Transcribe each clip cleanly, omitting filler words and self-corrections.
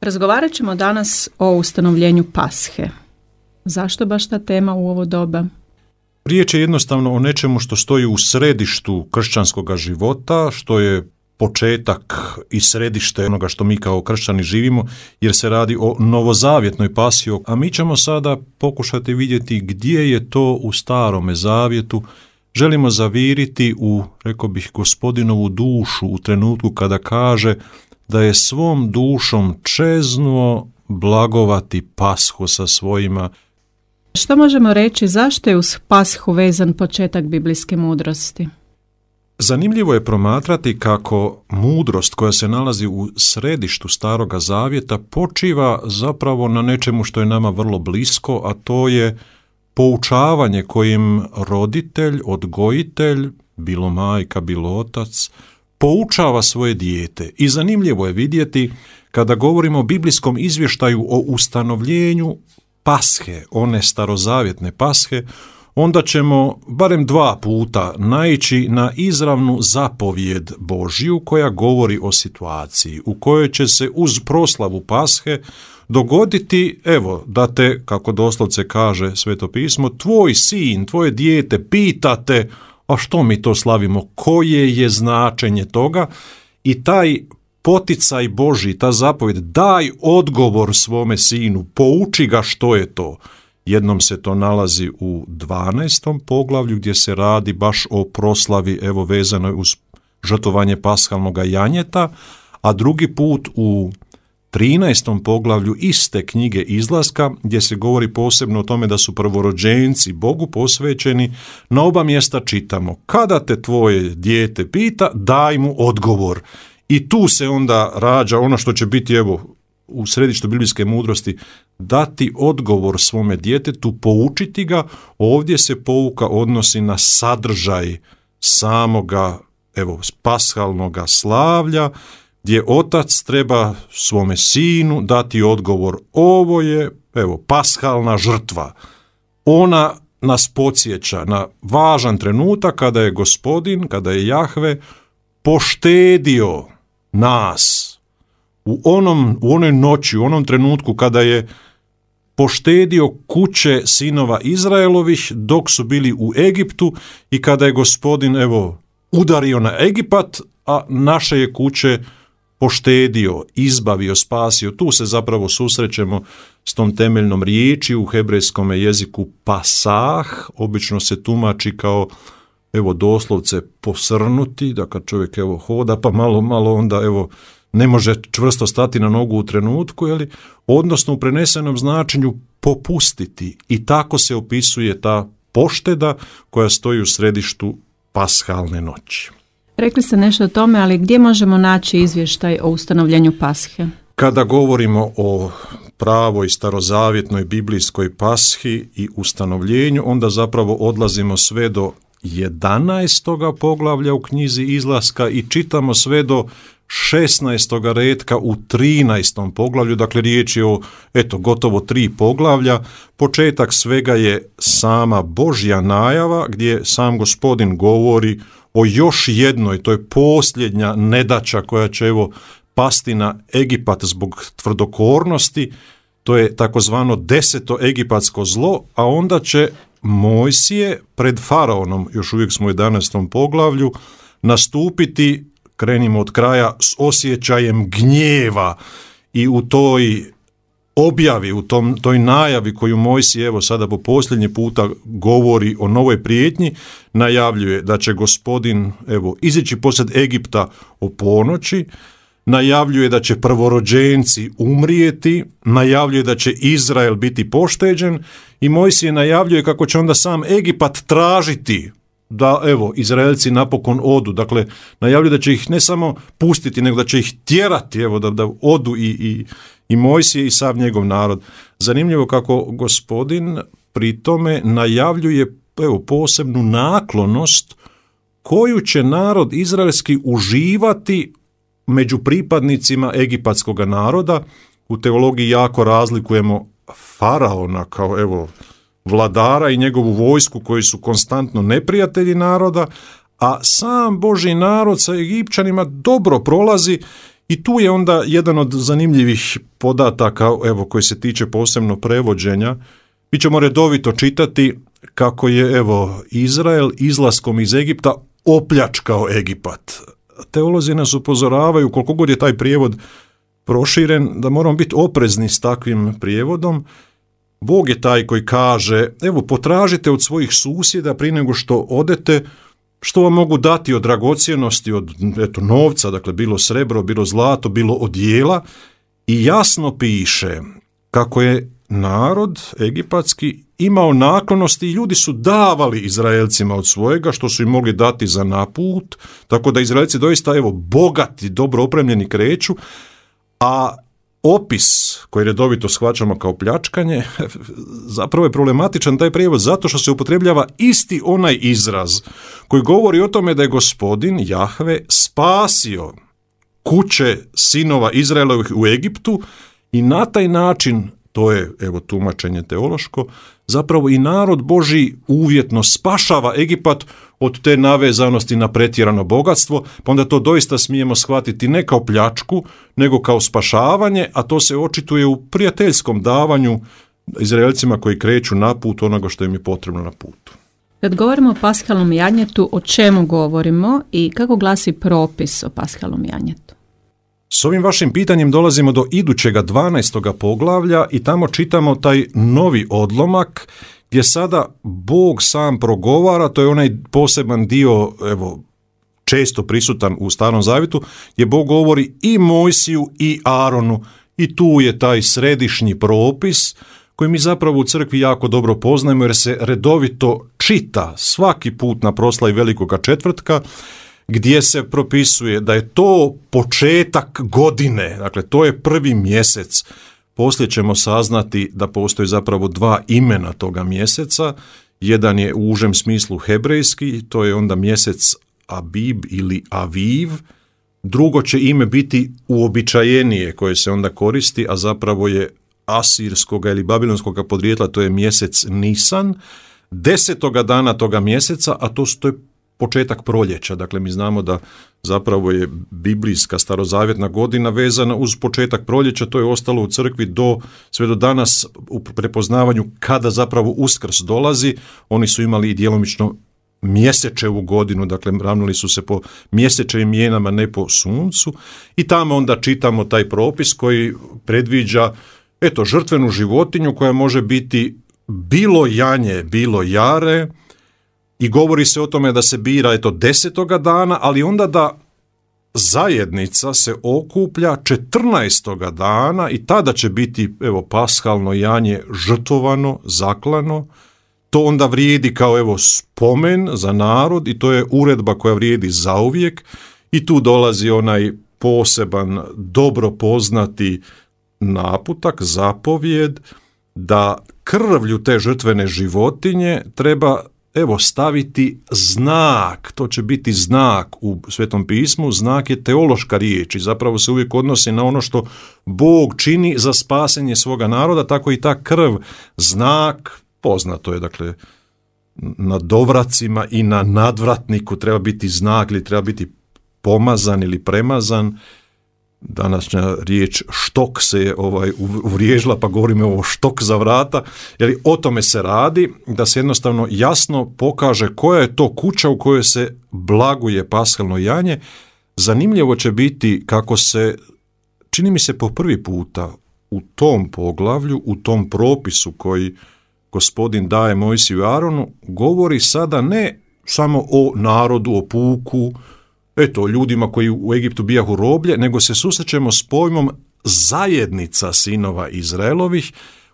Razgovarat ćemo danas o ustanovljenju Pashe. Zašto baš ta tema u ovo doba? Riječ je jednostavno o nečemu što stoji u središtu kršćanskog života, što je početak i središte onoga što mi kao kršćani živimo, jer se radi o novozavjetnoj Pashi, a mi ćemo sada pokušati vidjeti gdje je to u Starome zavjetu. Želimo zaviriti u, rekao bih, Gospodinovu dušu u trenutku kada kaže da je svom dušom čeznuo blagovati Pashu sa svojima. Što možemo reći, zašto je uz Pashu vezan početak biblijske mudrosti? Zanimljivo je promatrati kako mudrost koja se nalazi u središtu Staroga zavjeta počiva zapravo na nečemu što je nama vrlo blisko, a to je poučavanje kojim roditelj, odgojitelj, bilo majka, bilo otac, poučava svoje dijete. I zanimljivo je vidjeti kada govorimo o biblijskom izvještaju o ustanovljenju Pashe, one starozavjetne Pashe, onda ćemo barem 2 puta naići na izravnu zapovijed Božju koja govori o situaciji u kojoj će se uz proslavu Pashe dogoditi, evo, da te, kako doslovce kaže Sveto pismo, tvoj sin, tvoje dijete pitate, a što mi to slavimo, koje je značenje toga, i taj poticaj Božji, ta zapovjed, daj odgovor svome sinu, pouči ga što je to. Jednom se to nalazi u 12. poglavlju gdje se radi baš o proslavi, evo, vezanoj uz žrtvovanje pashalnoga janjeta, a drugi put u 13. poglavlju iste knjige Izlaska, gdje se govori posebno o tome da su prvorođenci Bogu posvećeni. Na oba mjesta čitamo, kada te tvoje dijete pita, daj mu odgovor. I tu se onda rađa ono što će biti, evo, u središtu biblijske mudrosti, dati odgovor svome djetetu, poučiti ga. Ovdje se pouka odnosi na sadržaj samoga, evo, pashalnoga slavlja, gdje otac treba svome sinu dati odgovor. Ovo je, evo, pashalna žrtva. Ona nas podsjeća na važan trenutak kada je Gospodin, kada je Jahve poštedio nas u onoj noći, u onom trenutku kada je poštedio kuće sinova Izraelovih dok su bili u Egiptu i kada je Gospodin, evo, udario na Egipat, a naše je kuće poštedio, izbavio, spasio. Tu se zapravo susrećemo s tom temeljnom riječi u hebrejskom jeziku pasah, obično se tumači kao, evo, doslovce posrnuti, da kad čovjek, evo, hoda pa malo onda, evo, ne može čvrsto stati na nogu u trenutku, odnosno u prenesenom značenju popustiti. I tako se opisuje ta pošteda koja stoji u središtu pashalne noći. Rekli ste nešto o tome, ali gdje možemo naći izvještaj o ustanovljenju Pashe? Kada govorimo o pravoj starozavjetnoj biblijskoj Pashi i ustanovljenju, onda zapravo odlazimo sve do 11. poglavlja u knjizi Izlaska i čitamo sve do 16. retka u 13. poglavlju, dakle riječ je o, gotovo 3 poglavlja. Početak svega je sama Božja najava gdje sam Gospodin govori o još jednoj, to je posljednja nedaća koja će, evo, pasti na Egipat zbog tvrdokornosti, to je takozvano 10. egipatsko zlo, a onda će Mojsije pred faraonom, još uvijek smo u 11. poglavlju, nastupiti, krenimo od kraja, s osjećajem gnjeva i u toj objavi, u toj najavi koju Mojsije, evo, sada po posljednji puta govori o novoj prijetnji, najavljuje da će Gospodin, evo, izići posred Egipta o ponoći, najavljuje da će prvorođenci umrijeti, najavljuje da će Izrael biti pošteđen i Mojsije najavljuje kako će onda sam Egipat tražiti da, evo, Izraelci napokon odu. Dakle, najavljuje da će ih ne samo pustiti, nego da će ih tjerati, evo, da odu i Mojsije i sav njegov narod. Zanimljivo kako Gospodin pri tome najavljuje, evo, posebnu naklonost koju će narod izraelski uživati među pripadnicima egipatskog naroda. U teologiji jako razlikujemo faraona kao, evo, vladara i njegovu vojsku koji su konstantno neprijatelji naroda, a sam Božji narod sa Egipćanima dobro prolazi I tu je onda jedan od zanimljivih podataka, evo, koji se tiče posebno prevođenja. Mi ćemo redovito čitati kako je, evo, Izrael izlaskom iz Egipta opljačkao Egipat. Teolozi nas upozoravaju, koliko god je taj prijevod proširen, da moramo biti oprezni s takvim prijevodom. Bog je taj koji kaže, evo, potražite od svojih susjeda prije nego što odete, što vam mogu dati od dragocjenosti, od novca, dakle bilo srebro, bilo zlato, bilo odijela, i jasno piše kako je narod egipatski imao naklonosti i ljudi su davali Izraelcima od svojega što su im mogli dati za naput, tako da Izraelci doista, evo, bogati, dobro opremljeni kreću, a opis koji redovito shvaćamo kao pljačkanje, zapravo je problematičan taj prijevod zato što se upotrebljava isti onaj izraz koji govori o tome da je Gospodin Jahve spasio kuće sinova Izraelovih u Egiptu i na taj način, to je, evo, tumačenje teološko, zapravo i narod Božji uvjetno spašava Egipat od te navezanosti na pretjerano bogatstvo, pa onda to doista smijemo shvatiti ne kao pljačku, nego kao spašavanje, a to se očituje u prijateljskom davanju Izraelcima koji kreću na put onoga što im je potrebno na putu. Kad govorimo o paskalnom janjetu, o čemu govorimo i kako glasi propis o paskalnom janjetu? S ovim vašim pitanjem dolazimo do idućega 12. poglavlja i tamo čitamo taj novi odlomak gdje sada Bog sam progovara, to je onaj poseban dio, evo, često prisutan u Starom Zavjetu, gdje Bog govori i Mojsiju i Aronu, i tu je taj središnji propis koji mi zapravo u crkvi jako dobro poznajemo jer se redovito čita svaki put na proslavi Velikoga četvrtka, gdje se propisuje da je to početak godine, dakle to je prvi mjesec. Poslije ćemo saznati da postoje zapravo dva imena toga mjeseca. Jedan je u užem smislu hebrejski, to je onda mjesec Abib ili Aviv. Drugo će ime biti uobičajenije koje se onda koristi, a zapravo je asirskoga ili babilonskoga podrijetla, to je mjesec Nisan. 10. dana toga mjeseca, a to je početak proljeća, dakle mi znamo da zapravo je biblijska starozavjetna godina vezana uz početak proljeća, to je ostalo u crkvi sve do danas u prepoznavanju kada zapravo Uskrs dolazi. Oni su imali i djelomično mjesečevu godinu, dakle ravnali su se po mjesečevim mjenama, ne po suncu, i tamo onda čitamo taj propis koji predviđa, eto, žrtvenu životinju koja može biti bilo janje, bilo jare, i govori se o tome da se bira, eto, 10. dana, ali onda da zajednica se okuplja 14. dana i tada će biti, evo, paskalno janje žrtvovano, zaklano. To onda vrijedi kao, evo, spomen za narod i to je uredba koja vrijedi zauvijek i tu dolazi onaj poseban, dobro poznati naputak, zapovjed, da krvlju te žrtvene životinje treba, evo, staviti znak. To će biti znak u Svetom pismu. Znak je teološka riječ i zapravo se uvijek odnosi na ono što Bog čini za spasenje svoga naroda, tako i ta krv, znak, poznato je, dakle, na dovracima i na nadvratniku treba biti znak ili treba biti pomazan ili premazan. Današnja riječ štok se je uvriježila, pa govorimo o štok za vrata, jer o tome se radi, da se jednostavno jasno pokaže koja je to kuća u kojoj se blaguje paskalno janje. Zanimljivo će biti kako se, čini mi se po prvi puta u tom poglavlju, u tom propisu koji Gospodin daje Mojsiju i Aronu, govori sada ne samo o narodu, o puku, eto, ljudima koji u Egiptu bijahu roblje, nego se susrećemo s pojmom zajednica sinova Izraelovih.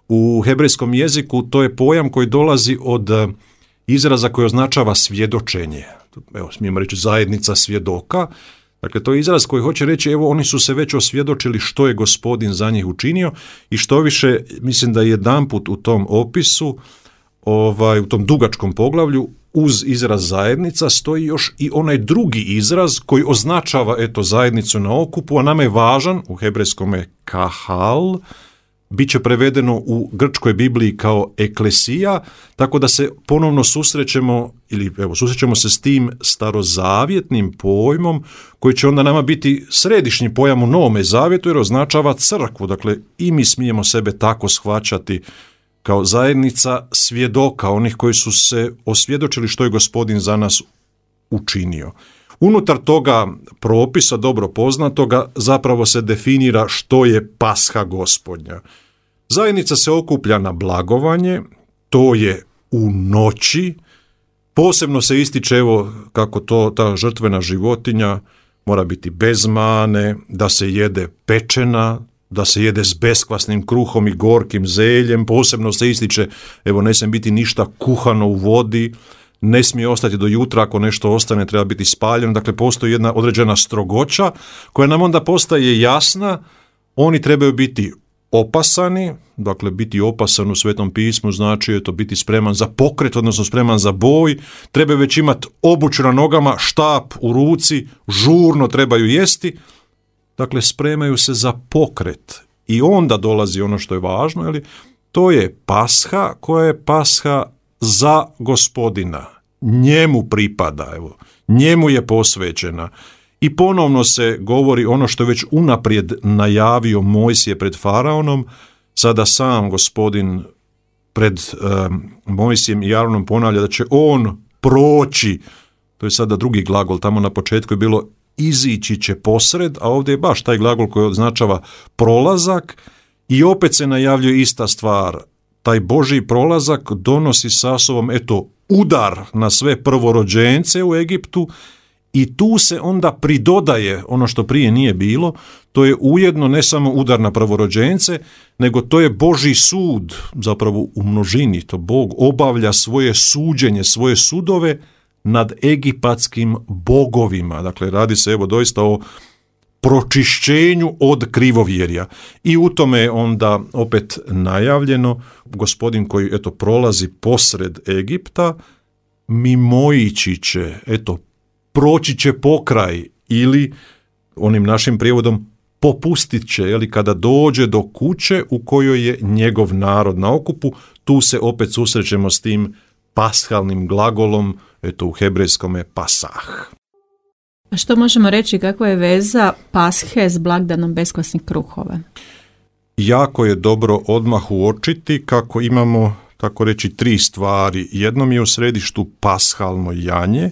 U hebrejskom jeziku to je pojam koji dolazi od izraza koji označava svjedočenje. Evo, smijemo reći zajednica svjedoka. Dakle, to je izraz koji hoće reći, evo, oni su se već osvjedočili što je Gospodin za njih učinio i što više, mislim da jedanput u tom opisu, u tom dugačkom poglavlju, uz izraz zajednica stoji još i onaj drugi izraz koji označava, eto, zajednicu na okupu, a nama je važan, u hebrejskom je kahal, bit će prevedeno u grčkoj Bibliji kao eklesija, tako da se ponovno susrećemo se s tim starozavjetnim pojmom koji će onda nama biti središnji pojam u Novome zavjetu jer označava crkvu. Dakle, i mi smijemo sebe tako shvaćati kao zajednica svjedoka, onih koji su se osvjedočili što je Gospodin za nas učinio. Unutar toga propisa, dobro poznatoga, zapravo se definira što je Pasha Gospodnja. Zajednica se okuplja na blagovanje, to je u noći, posebno se ističe kako ta žrtvena životinja mora biti bez mane, da se jede pečena, da se jede s beskvasnim kruhom i gorkim zeljem, posebno se ističe, ne smije biti ništa kuhano u vodi, ne smije ostati do jutra, ako nešto ostane treba biti spaljeno, dakle postoji jedna određena strogoća koja nam onda postaje jasna, oni trebaju biti opasani, dakle biti opasan u Svetom pismu znači biti spreman za pokret, odnosno spreman za boj, trebaju već imati obuću na nogama, štap u ruci, žurno trebaju jesti, dakle spremaju se za pokret i onda dolazi ono što je važno, to je Pasha koja je Pasha za Gospodina, njemu pripada, njemu je posvećena. I ponovno se govori ono što je već unaprijed najavio Mojsije pred faraonom, sada sam Gospodin pred Mojsijem i Aronom ponavlja da će on proći, to je sada drugi glagol, tamo na početku je bilo izići će posred, a ovdje je baš taj glagol koji označava prolazak i opet se najavljuje ista stvar. Taj Božji prolazak donosi sa sobom udar na sve prvorođence u Egiptu i tu se onda pridodaje ono što prije nije bilo, to je ujedno ne samo udar na prvorođence, nego to je Božji sud, zapravo u množini, to Bog obavlja svoje suđenje, svoje sudove nad egipatskim bogovima. Dakle, radi se doista o pročišćenju od krivovjerja. I u tome je onda opet najavljeno Gospodin koji prolazi posred Egipta, mimoići će, proći će pokraj ili onim našim prijevodom popustit će, kada dođe do kuće u kojoj je njegov narod na okupu, tu se opet susrećemo s tim pashalnim glagolom, u hebrejskome pasah. A što možemo reći, kakva je veza Pashe s blagdanom beskvasnih kruhova? Jako je dobro odmah uočiti kako imamo, tako reći, 3 stvari. Jednom je u središtu pashalno janje,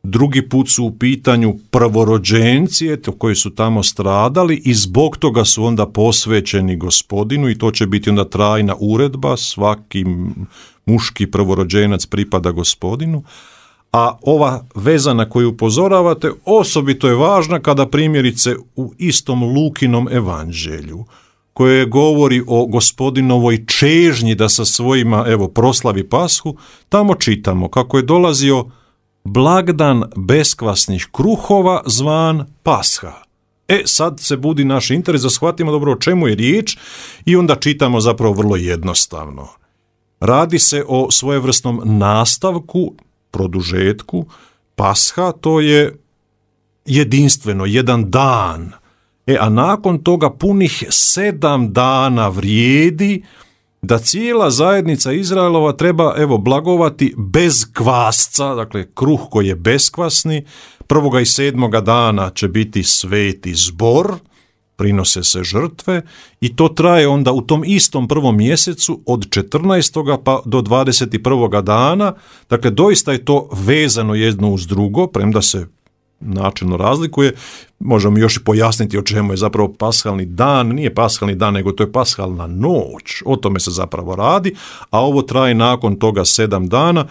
drugi put su u pitanju prvorođenci koji su tamo stradali i zbog toga su onda posvećeni Gospodinu i to će biti onda trajna uredba, svaki muški prvorođenac pripada Gospodinu. A ova veza na koju upozoravate osobito je važna kada primjerice u istom Lukinom evanđelju, koje govori o Gospodinovoj čežnji da sa svojima proslavi Pashu, tamo čitamo kako je dolazio blagdan beskvasnih kruhova zvan Pasha. Sad se budi naš interes da shvatimo dobro o čemu je riječ i onda čitamo zapravo vrlo jednostavno. Radi se o svojevrsnom nastavku, produžetku. Pasha to je jedinstveno, jedan dan. A nakon toga punih 7 dana vrijedi da cijela zajednica Izraelova treba blagovati bez kvasca, dakle kruh koji je beskvasni. 1. i 7. dana će biti sveti zbor, prinose se žrtve i to traje onda u tom istom prvom mjesecu od 14. pa do 21. dana. Dakle, doista je to vezano jedno uz drugo, premda se načelno razlikuje. Možemo još i pojasniti o čemu je zapravo pashalni dan. Nije pashalni dan, nego to je pashalna noć. O tome se zapravo radi, a ovo traje nakon toga 7 dana.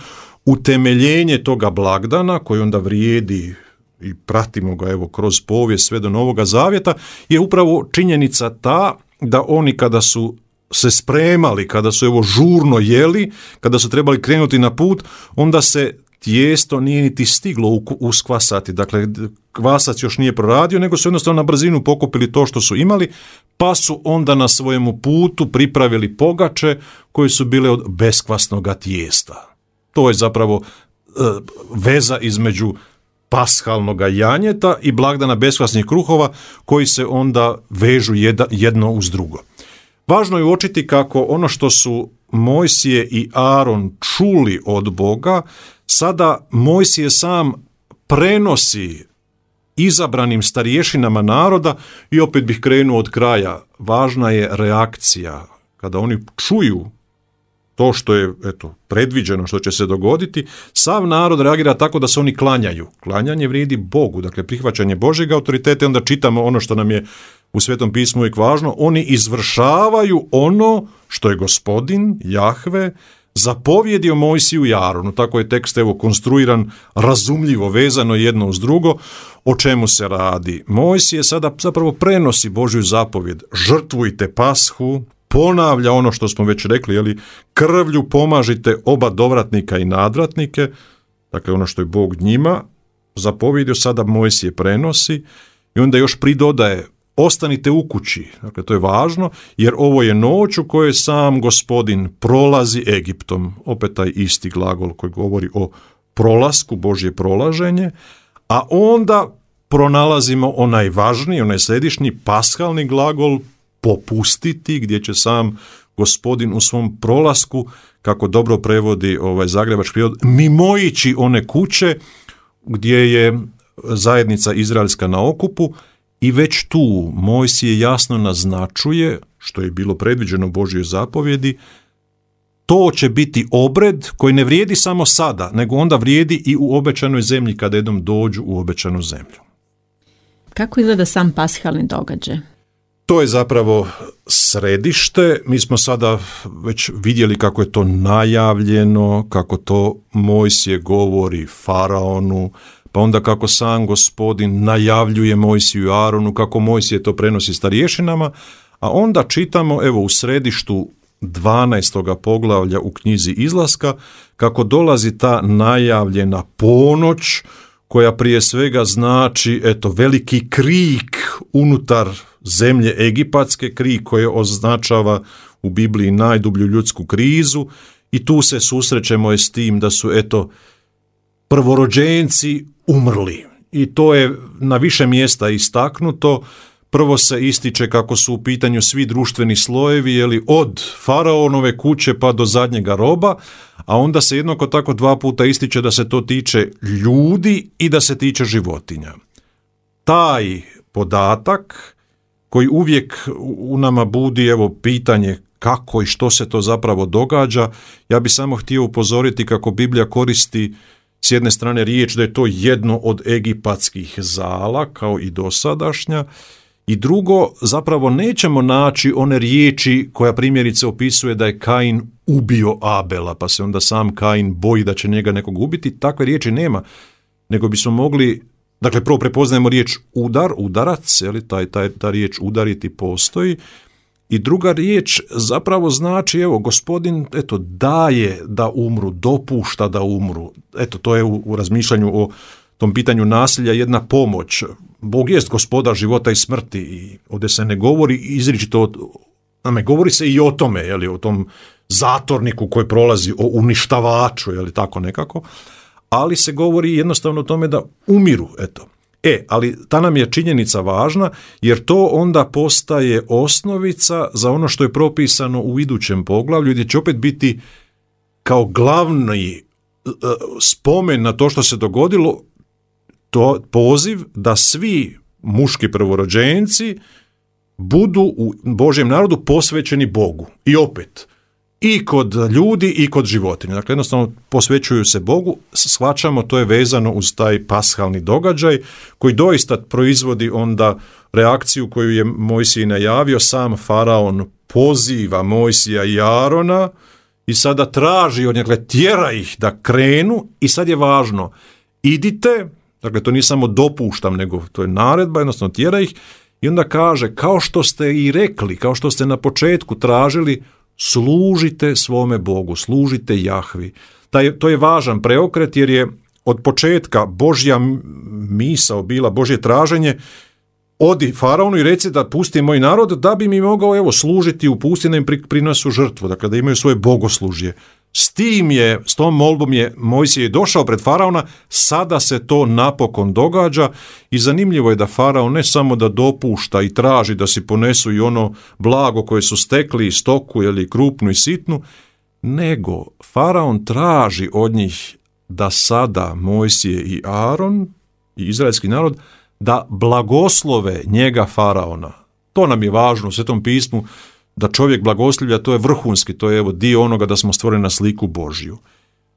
Utemeljenje toga blagdana, koji onda vrijedi i pratimo ga kroz povijest sve do Novoga Zavjeta, je upravo činjenica ta da oni kada su se spremali, kada su žurno jeli, kada su trebali krenuti na put, onda se tijesto nije niti stiglo uskvasati. Dakle, kvasac još nije proradio, nego su jednostavno na brzinu pokupili to što su imali, pa su onda na svojemu putu pripravili pogače koje su bile od beskvasnoga tijesta. To je zapravo veza između pashalnoga janjeta i blagdana beskvasnih kruhova koji se onda vežu jedno uz drugo. Važno je uočiti kako ono što su Mojsije i Aron čuli od Boga, sada Mojsije sam prenosi izabranim starješinama naroda i opet bih krenuo od kraja. Važna je reakcija. Kada oni čuju to što je predviđeno, što će se dogoditi, sav narod reagira tako da se oni klanjaju. Klanjanje vrijedi Bogu, dakle prihvaćanje Božjeg autoriteta, onda čitamo ono što nam je u Svetom pismu uvijek važno, oni izvršavaju ono što je Gospodin, Jahve, zapovjedio Mojsiju i Aronu. Tako je tekst konstruiran, razumljivo, vezano jedno uz drugo. O čemu se radi? Mojsije sada zapravo prenosi Božju zapovjed. Žrtvujte pashu, ponavlja ono što smo već rekli, krvlju pomažite oba dovratnika i nadvratnike, dakle ono što je Bog njima zapovjedio, sada Mojsije prenosi i onda još pridodaje, ostanite u kući, dakle to je važno, jer ovo je noć u kojoj sam Gospodin prolazi Egiptom, opet taj isti glagol koji govori o prolasku, Božje prolaženje, a onda pronalazimo onaj važniji, onaj središnji paskalni glagol popustiti, gdje će sam Gospodin u svom prolasku, kako dobro prevodi zagrebački prijevod, mimoići one kuće gdje je zajednica izraelska na okupu i već tu Mojsije jasno naznačuje, što je bilo predviđeno u Božjoj zapovjedi, to će biti obred koji ne vrijedi samo sada, nego onda vrijedi i u obećanoj zemlji kada jednom dođu u obećanu zemlju. Kako izgleda sam paskalni događaj? To je zapravo središte. Mi smo sada već vidjeli kako je to najavljeno, kako to Mojsije govori faraonu, pa onda kako sam Gospodin najavljuje Mojsiju i Aronu, kako Mojsije to prenosi starješinama, a onda čitamo u središtu 12. poglavlja u knjizi Izlaska kako dolazi ta najavljena ponoć koja prije svega znači veliki krik unutar zemlje egipatske, krik koji označava u Bibliji najdublju ljudsku krizu i tu se susrećemo s tim da su prvorođenci umrli i to je na više mjesta istaknuto. Prvo se ističe kako su u pitanju svi društveni slojevi, od faraonove kuće pa do zadnjega roba, a onda se jednako tako 2 puta ističe da se to tiče ljudi i da se tiče životinja. Taj podatak koji uvijek u nama budi pitanje kako i što se to zapravo događa, ja bih samo htio upozoriti kako Biblija koristi s jedne strane riječ da je to jedno od egipatskih zala kao i dosadašnja, i drugo, zapravo nećemo naći one riječi koja primjerice opisuje da je Kain ubio Abela, pa se onda sam Kain boji da će njega nekog ubiti. Takve riječi nema, nego bismo mogli, dakle prvo prepoznajemo riječ udarac, ta riječ udariti postoji, i druga riječ zapravo znači, Gospodin daje da umru, dopušta da umru. To je u razmišljanju o tom pitanju nasilja jedna pomoć. Bog jest gospodar života i smrti i ovdje se ne govori izričito, govori se i o tome, o tom zatorniku koji prolazi, o uništavaču, tako nekako, ali se govori jednostavno o tome da umiru, ali ta nam je činjenica važna, jer to onda postaje osnovica za ono što je propisano u idućem poglavlju, gdje će opet biti kao glavni spomen na to što se dogodilo, to poziv da svi muški prvorođenci budu u Božjem narodu posvećeni Bogu. I opet, i kod ljudi i kod životinja. Dakle, jednostavno posvećuju se Bogu, shvaćamo, to je vezano uz taj pashalni događaj koji doista proizvodi onda reakciju koju je Mojsije najavio. Sam faraon poziva Mojsija i Arona i sada traži od njega, tjera ih da krenu i sad je važno, idite, dakle to nije samo dopuštam, nego to je naredba, jednostavno tjera ih i onda kaže, kao što ste i rekli, kao što ste na početku tražili, služite svome Bogu, služite Jahvi. To je važan preokret jer je od početka Božja misao bila, Božje traženje, odi faraonu i reci da pusti moj narod da bi mi mogao služiti u pustinji, im prinosu žrtvu, dakle da imaju svoje bogoslužje. S tom molbom je Mojsije došao pred faraona, sada se to napokon događa i zanimljivo je da faraon ne samo da dopušta i traži da si ponesu i ono blago koje su stekli, stoku ili krupnu i sitnu, nego faraon traži od njih da sada Mojsije i Aron i izraelski narod da blagoslove njega faraona. To nam je važno u Svetom pismu, da čovjek blagoslivlja, to je vrhunski, to je dio onoga da smo stvoreni na sliku Božju.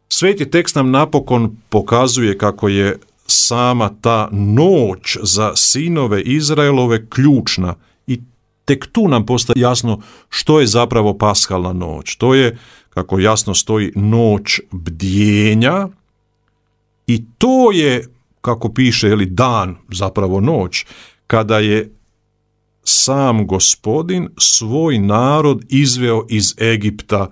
Sveti tekst nam napokon pokazuje kako je sama ta noć za sinove Izraelove ključna i tek tu nam postaje jasno što je zapravo paskalna noć. To je, kako jasno stoji, noć bdjenja i to je, kako piše, dan, zapravo noć, kada je sam Gospodin svoj narod izveo iz Egipta.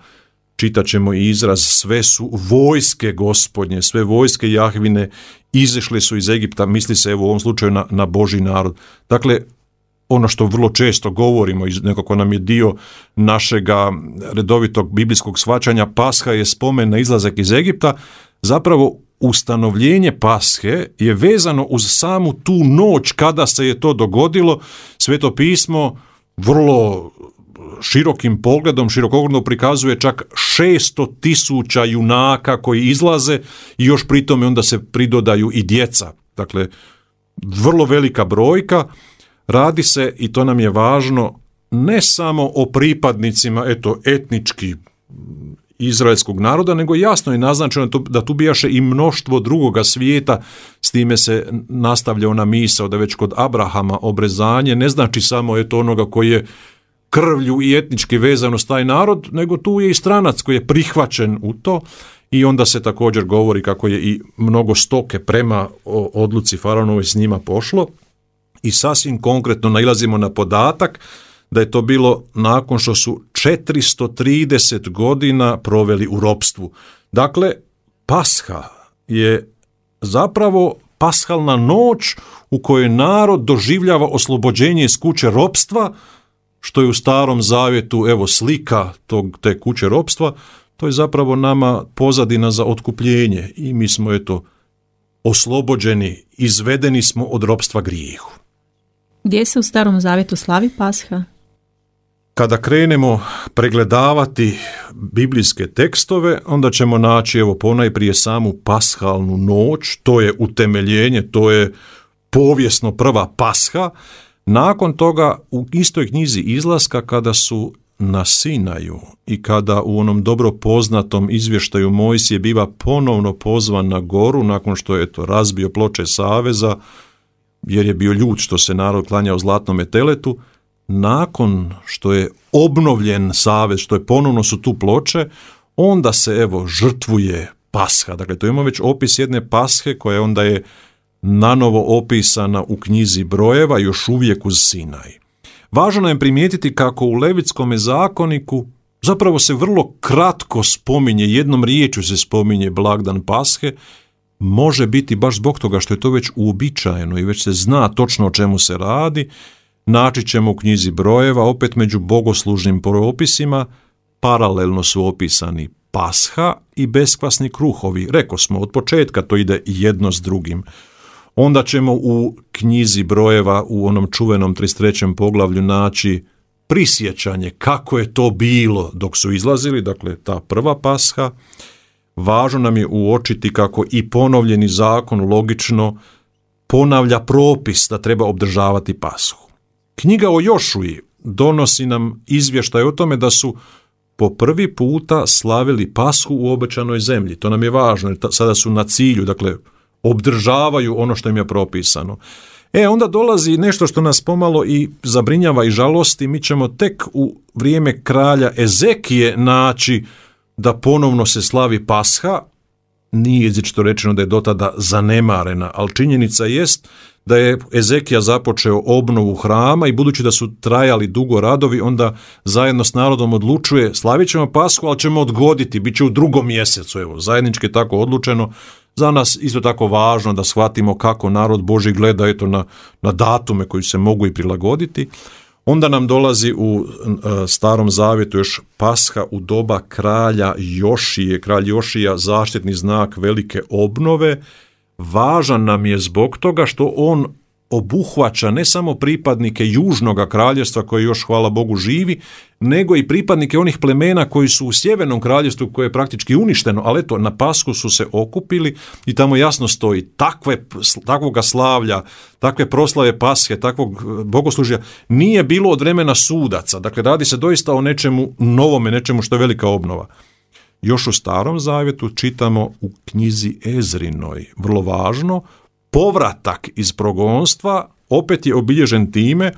Čitat ćemo izraz, sve su vojske Gospodnje, sve vojske Jahvine izašle su iz Egipta, misli se evo u ovom slučaju na Božji narod. Dakle, ono što vrlo često govorimo, nekako nam je dio našega redovitog biblijskog shvaćanja, Pasha je spomen na izlazak iz Egipta, zapravo ustanovljenje Pashe je vezano uz samu tu noć kada se je to dogodilo. Sveto pismo vrlo širokim pogledom, širokogledno prikazuje čak 600.000 junaka koji izlaze i još pri tome onda se pridodaju i djeca. Dakle, vrlo velika brojka. Radi se, i to nam je važno, ne samo o pripadnicima etnički izraelskog naroda, nego jasno je naznačeno da tu bijaše i mnoštvo drugoga svijeta. S time se nastavlja ona misao da već kod Abrahama obrezanje ne znači samo onoga koji je krvlju i etnički vezano s taj narod, nego tu je i stranac koji je prihvaćen u to i onda se također govori kako je i mnogo stoke prema odluci faraonovoj s njima pošlo i sasvim konkretno nailazimo na podatak da je to bilo nakon što su 430 godina proveli u ropstvu. Dakle, Pasha je zapravo pashalna noć u kojoj narod doživljava oslobođenje iz kuće ropstva, što je u Starom Zavjetu, slika te kuće ropstva, to je zapravo nama pozadina za otkupljenje i mi smo oslobođeni, izvedeni smo od ropstva grijehu. Gdje se u Starom Zavjetu slavi Pasha? Kada krenemo pregledavati biblijske tekstove, onda ćemo naći ponajprije samu pashalnu noć, to je utemeljenje, to je povijesno prva Pasha. Nakon toga u istoj knjizi Izlaska kada su na Sinaju i kada u onom dobro poznatom izvještaju Mojsije biva ponovno pozvan na goru nakon što je razbio ploče saveza jer je bio ljut što se narod klanjao zlatnome teletu, nakon što je obnovljen savez, što je ponovno su tu ploče, onda se žrtvuje Pasha. Dakle, to imamo već opis jedne Pashe koja onda je nanovo opisana u knjizi Brojeva, još uvijek uz Sinaj. Važno je primijetiti kako u Levitskom zakoniku zapravo se vrlo kratko spominje, jednom riječju se spominje blagdan Pashe, može biti baš zbog toga što je to već uobičajeno i već se zna točno o čemu se radi. Naći ćemo u knjizi Brojeva, opet među bogoslužnim propisima, paralelno su opisani Pasha i beskvasni kruhovi. Rekao smo, od početka to ide jedno s drugim. Onda ćemo u knjizi Brojeva u onom čuvenom 33. poglavlju naći prisjećanje kako je to bilo dok su izlazili, dakle ta prva Pasha. Važno nam je uočiti kako i ponovljeni zakon logično ponavlja propis da treba obdržavati Pashu. Knjiga o Jošuji donosi nam izvještaj o tome da su po prvi puta slavili Pashu u obećanoj zemlji. To nam je važno, jer sada su na cilju, dakle obdržavaju ono što im je propisano. Onda dolazi nešto što nas pomalo i zabrinjava i žalosti. Mi ćemo tek u vrijeme kralja Ezekije naći da ponovno se slavi Pasha. Nije izričito rečeno da je do tada zanemarena, ali činjenica jest da je Ezekija započeo obnovu hrama i budući da su trajali dugo radovi, onda zajedno s narodom odlučuje slavit ćemo Pashu, ali ćemo odgoditi, bit će u 2. mjesecu. Zajednički je tako odlučeno. Za nas isto tako važno da shvatimo kako narod Božji gleda na datume koji se mogu i prilagoditi. Onda nam dolazi u Starom zavjetu još Pasha u doba kralja Jošije. Kralj Jošija, zaštitni znak velike obnove, važan nam je zbog toga što on obuhvaća ne samo pripadnike južnog kraljevstva koji još, hvala Bogu, živi, nego i pripadnike onih plemena koji su u sjevernom kraljevstvu koje je praktički uništeno, ali eto, na Pashu su se okupili i tamo jasno stoji takvoga slavlja, takve proslave Pashe, takvog bogoslužja nije bilo od vremena sudaca. Dakle, radi se doista o nečemu novome, nečemu što je velika obnova. Još u Starom zavjetu čitamo u knjizi Ezrinoj, vrlo važno, povratak iz progonstva opet je obilježen time,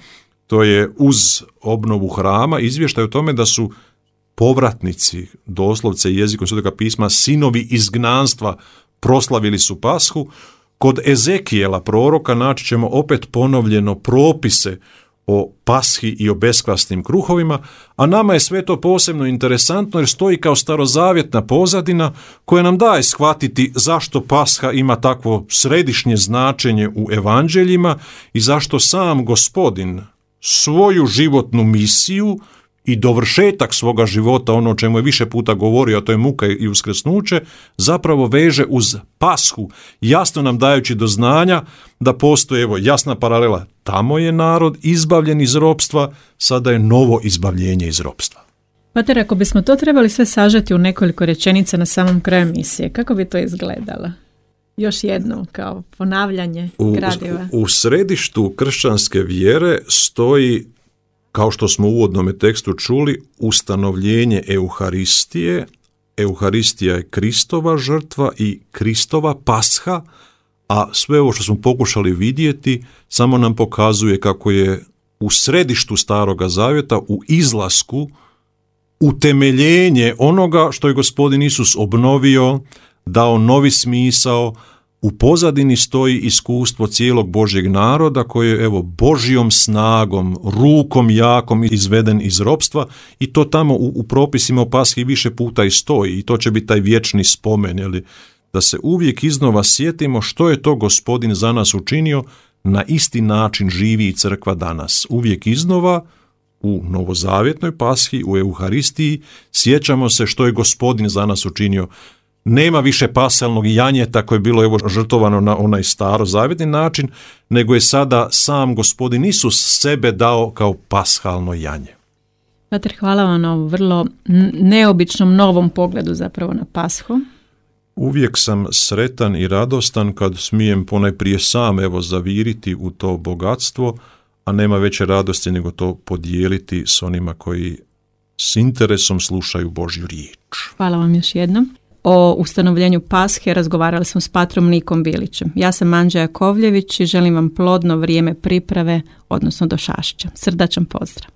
to je uz obnovu hrama, izvještaj o tome da su povratnici, doslovce jezikom Svetoga pisma, sinovi izgnanstva proslavili su Pashu. Kod Ezekijela proroka naći ćemo opet ponovljeno propise o Pashi i o beskvasnim kruhovima, a nama je sve to posebno interesantno jer stoji kao starozavjetna pozadina koja nam daje shvatiti zašto Pasha ima takvo središnje značenje u evanđeljima i zašto sam Gospodin svoju životnu misiju i dovršetak svoga života, ono o čemu je više puta govorio, a to je muka i uskrsnuće, zapravo veže uz Pashu, jasno nam dajući do znanja da postoji, evo, jasna paralela, tamo je narod izbavljen iz ropstva, sada je novo izbavljenje iz ropstva. Pater, ako bismo to trebali sve sažeti u nekoliko rečenica na samom kraju emisije, kako bi to izgledalo? Još jednom, kao ponavljanje gradiva. U središtu kršćanske vjere stoji, kao što smo u uvodnom tekstu čuli, ustanovljenje Euharistije. Euharistija je Kristova žrtva i Kristova Pasha, a sve ovo što smo pokušali vidjeti samo nam pokazuje kako je u središtu Staroga zavjeta, u izlasku, utemeljenje onoga što je Gospodin Isus obnovio, dao novi smisao. U pozadini stoji iskustvo cijelog Božjeg naroda koji je, evo, Božjom snagom, rukom jakom izveden iz ropstva i to tamo u propisima o Pashi više puta i stoji i to će biti taj vječni spomen, da se uvijek iznova sjetimo što je to Gospodin za nas učinio. Na isti način živi i crkva danas. Uvijek iznova u novozavjetnoj Pashi, u Euharistiji, sjećamo se što je Gospodin za nas učinio. Nema više pasalnog janjeta koje je bilo, evo, žrtovano na onaj starozavjetni način, nego je sada sam Gospodin Isus sebe dao kao pashalno janje. Pater, hvala vam na ovom vrlo neobičnom novom pogledu zapravo na Pashu. Uvijek sam sretan i radostan kad smijem ponajprije sam, evo, zaviriti u to bogatstvo, a nema veće radosti nego to podijeliti s onima koji s interesom slušaju Božju riječ. Hvala vam još jednom. O ustanovljenju Pashe razgovarali smo s patrom Nikom Bilićem. Ja sam Anđa Jakovljević i želim vam plodno vrijeme priprave, odnosno do Šašća. Srdačan pozdrav.